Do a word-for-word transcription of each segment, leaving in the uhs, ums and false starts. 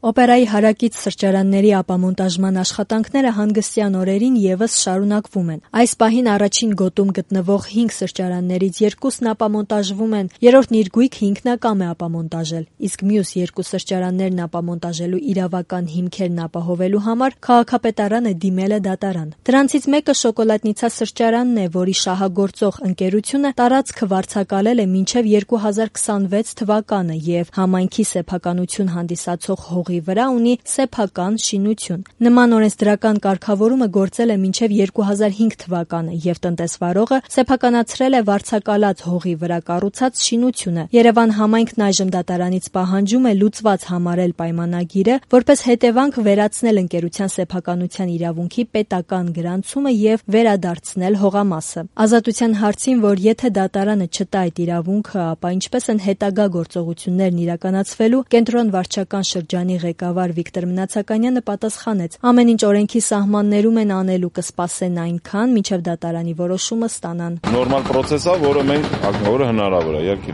Օպերայի հարակից սրճարանների ապամոնտաժման աշխատանքները հանգստյան օրերին ևս շարունակվում են։ Այս պահին առաջին գոտում գտնվող հինգ սրճարաններից երկուսն ապամոնտաժվում են, երրորդն իր գույք հիմնական է ապամոնտաժել, իսկ մյուս երկու սրճարաններն ապամոնտաժելու իրավական հիմքերն ապահովելու համար քաղաքապետարանը դիմել է դատարան։ Դրանցից մեկը շոկոլադնիցա սրճարանն է, որի շահագործող ընկերությունը տարածքը վարձակալել է մինչև երկու հազար քսանվեց թվականը եւ համայնքի սեփականություն հանդիսացող հողի վրա ունի սեփական շինություն։ Նման օրենսդրական կարգավորումը գործել է մինչև երկու հազար հինգ թվականը եւ տնտեսվարողը սեփականացրել է վարձակալած հողի վրա կառուցած շինությունը։ Երևան համայնքն այժմ դատարանից պահանջում է լուծված համարել պայմանագիրը, որպես հետևանք վերացնել ընկերության սեփականության իրավունքի պետական գրանցումը եւ վերադարձնել հողամասը։ Ազատության հարցին, որ եթե դատարանը չտա այդ իրավունքը, ապա ինչպես են հետագա գործողություններն իրականացվելու, կենտրոն վարչական շրջանի ղեկավար Վիկտոր Մնացականյանը պատասխանեց. ամեն ինչ օրենքի սահմաններում են անելու, կսպասեն այնքան, մինչև դատարանի որոշումը ստանան։ Նորմալ process է, որը մենք որը հնարավոր է, իհարկե։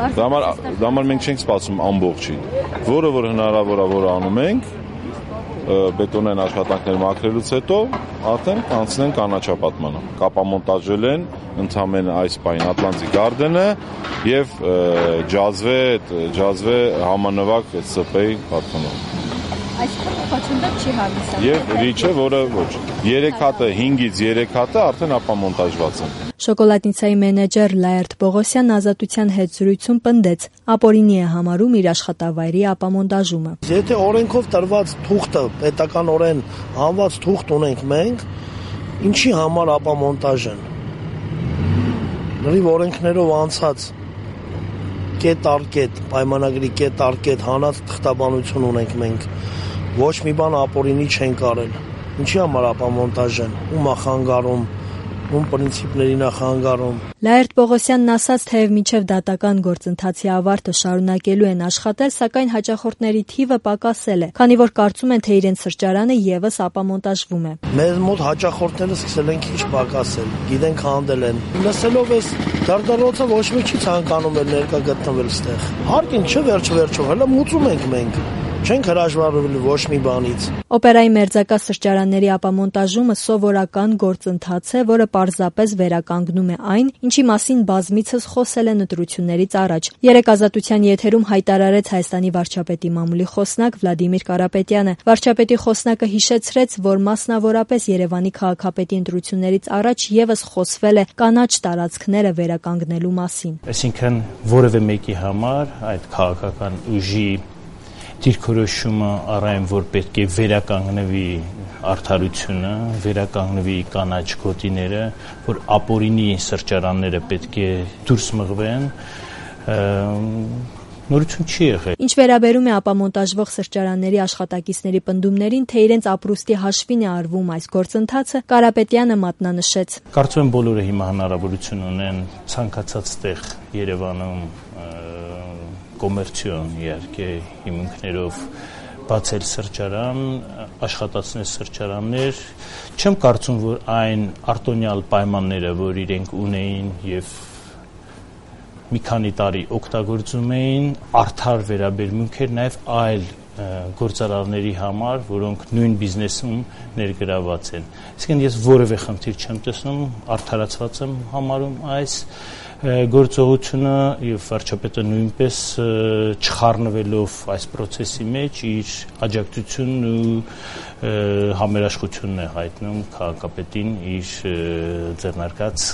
Դա համար դա համար մենք չենք սպասում ամբողջին։ Որը որ հնարավոր է, որը անում ենք, բետոնային աշխատանքներ մաքրելուց հետո արդեն կանցնեն կանաչապատմանը։ Կապամոնտաժել են ընդամենը այս պահին Atlantic Garden-ը եւ ջազվե ջազվե համանվագ ՍՊ-ի պատկանող։ Այսինքն խոչընդոտ չի հանդիսանում։ Եվ ռիչը, որը ոչ։ երեք հատը, հինգից երեք հատը արդեն ապամոնտաժված են։ Շոկոլադնիցայի մենեջեր Լաերտ Պողոսյանն Ազատության հետ զրույցում պնդեց. ապօրինի է համարում իր աշխատավայրի ապամոնտաժումը։ Եթե օրենքով տրված թուղթը, պետականորեն հանված թուղթ ունենք մենք, ինչի համար ապամոնտաժ են։ Լրիվ օրենքներով անցած կետ առ կետ, պայմանագրի կետ առ կետ հանած թղթաբանություն ունենք մենք։ Ոչ մի բան ապօրինի չեն կարել։ Ինչի համար ապամոնտաժ են, ում է խանգարում, ում պրինցիպներին է խանգարում։ Լաերտ Պողոսյանն ասաց, թեև մինչև դատական գործընթացի ավարտը շարունակելու են աշխատել, սակայն հաճախորդների թիվը պակասել է, քանի որ կարծում են, թե իրենց սրճարանը ևս ապամոնտաժվում է։ Մեզ մոտ հաճախորդները սկսել են քիչ պակասել, գիտենք հանդել են։ Լսելով էս դարդարոցը ոչ մի չի ցանկանում էլ ներկա գտնվել ստեղ։ Հարկին չէ վերջ-վերջով, հələ մուծում ենք մենք։ Չենք հրաժարվել ոչ մի բանից։ Օպերայի մերձակա սրճարանների ապամոնտաժումը սովորական գործընթաց է, որը պարզապես վերականգնում է այն, ինչի մասին բազմիցս խոսել են ընտրություններից առաջ։ Երեք Ազատության եթերում հայտարարեց Հայաստանի վարչապետի մամուլի խոսնակ Վլադիմիր Կարապետյանը։ Վարչապետի խոսնակը հիշեցրեց, որ մասնավորապես Երևանի քաղաքապետի ընտրություններից առաջ ևս խոսվել է կանաչ տարածքները վերականգնելու մասին։ Այսինքն որևէ մեկի համար այդ քաղաքական ուժի դիրքորոշումը առայն որ պետք է վերականգնվի արդարությունը, վերականգնվի կանաչ գոտիները, որ ապօրինի սրճարանները պետք է դուրս մղվեն, նորություն չի եղել։ Ինչ վերաբերում է ապամոնտաժվող սրճարանների աշխատակիցների պնդումներին, թե իրենց ապրուստի հաշվին է արվում այս գործընթացը, Կարապետյանը մատնանշեց. Կարծում եմ բոլորը հիմա հնարավորություն ունեն ցանկացած տեղ Երևանում կոմերցիոն իհարկե հիմունքներով բացել սրճարան, աշխատացնել սրճարաններ, չեմ կարծում, որ այն արտոնյալ պայմանները, որ իրենք ունեին եւ մի քանի տարի օգտագործում էին, արդար վերաբերմունք էր նաեւ այլ գործարարների համար, որոնք նույն բիզնեսում ներգրաված են։ Իսկեն ես որևէ խնդիր չեմ տեսնում, արդարացված եմ համարում այս գործողությունը եւ վարչապետը նույնպես չխառնվելով այս process-ի մեջ իր աջակցությունն ու համերաշխությունն է հայտնում քաղաքապետին իր ձեռնարկած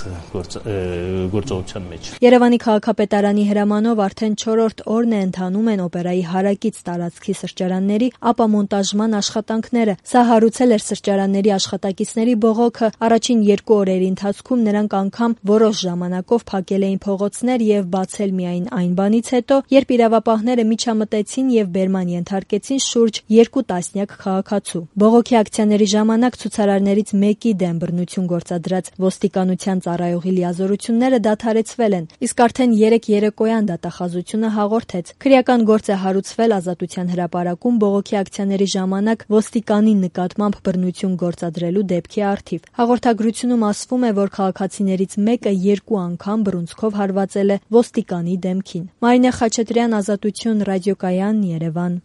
գործողության մեջ։ Երևանի քաղաքապետարանի հրամանով արդեն չորրորդ օրն է ընթանում են օպերայի հարակից տարածքի սրճարանների ապամոնտաժման աշխատանքները։ Սա հարուցել էր սրճարանների աշխատակիցների բողոքը։ Առաջին երկու օրերի ընթացքում նրանք անգամ որոշ ժամանակով փակել էին փողոցներ եւ բացել միայն այն բանից հետո, երբ իրավապահները միջամտեցին եւ բերման ենթարկեցին շուրջ երկու տասնյակ քաղաքացու։ Բողոքի ակցիաների ժամանակ ցուցարարներից մեկի դեմ բռնություն գործադրած ոստիկանության ծառայողի լիազորությունները դադարեցվել են, իսկ արդեն երեք երեկոյան դատախազությունը հաղորդեց. քրեական գործ է հարուցվել Ազատության հրապարակում բողոքի ակցիաների ժամանակ ոստիկանի նկատմամբ բռնություն գործադրելու դեպքի առթիվ։ Հաղորդագրությունում ասվում է, որ քաղաքացիներից մեկը երկու անգամ բռունցքով հարվածել է ոստիկանի դեմքին։ Մարինե Խաչատրյան, Ազատություն, ռադիոկայան, Երևան։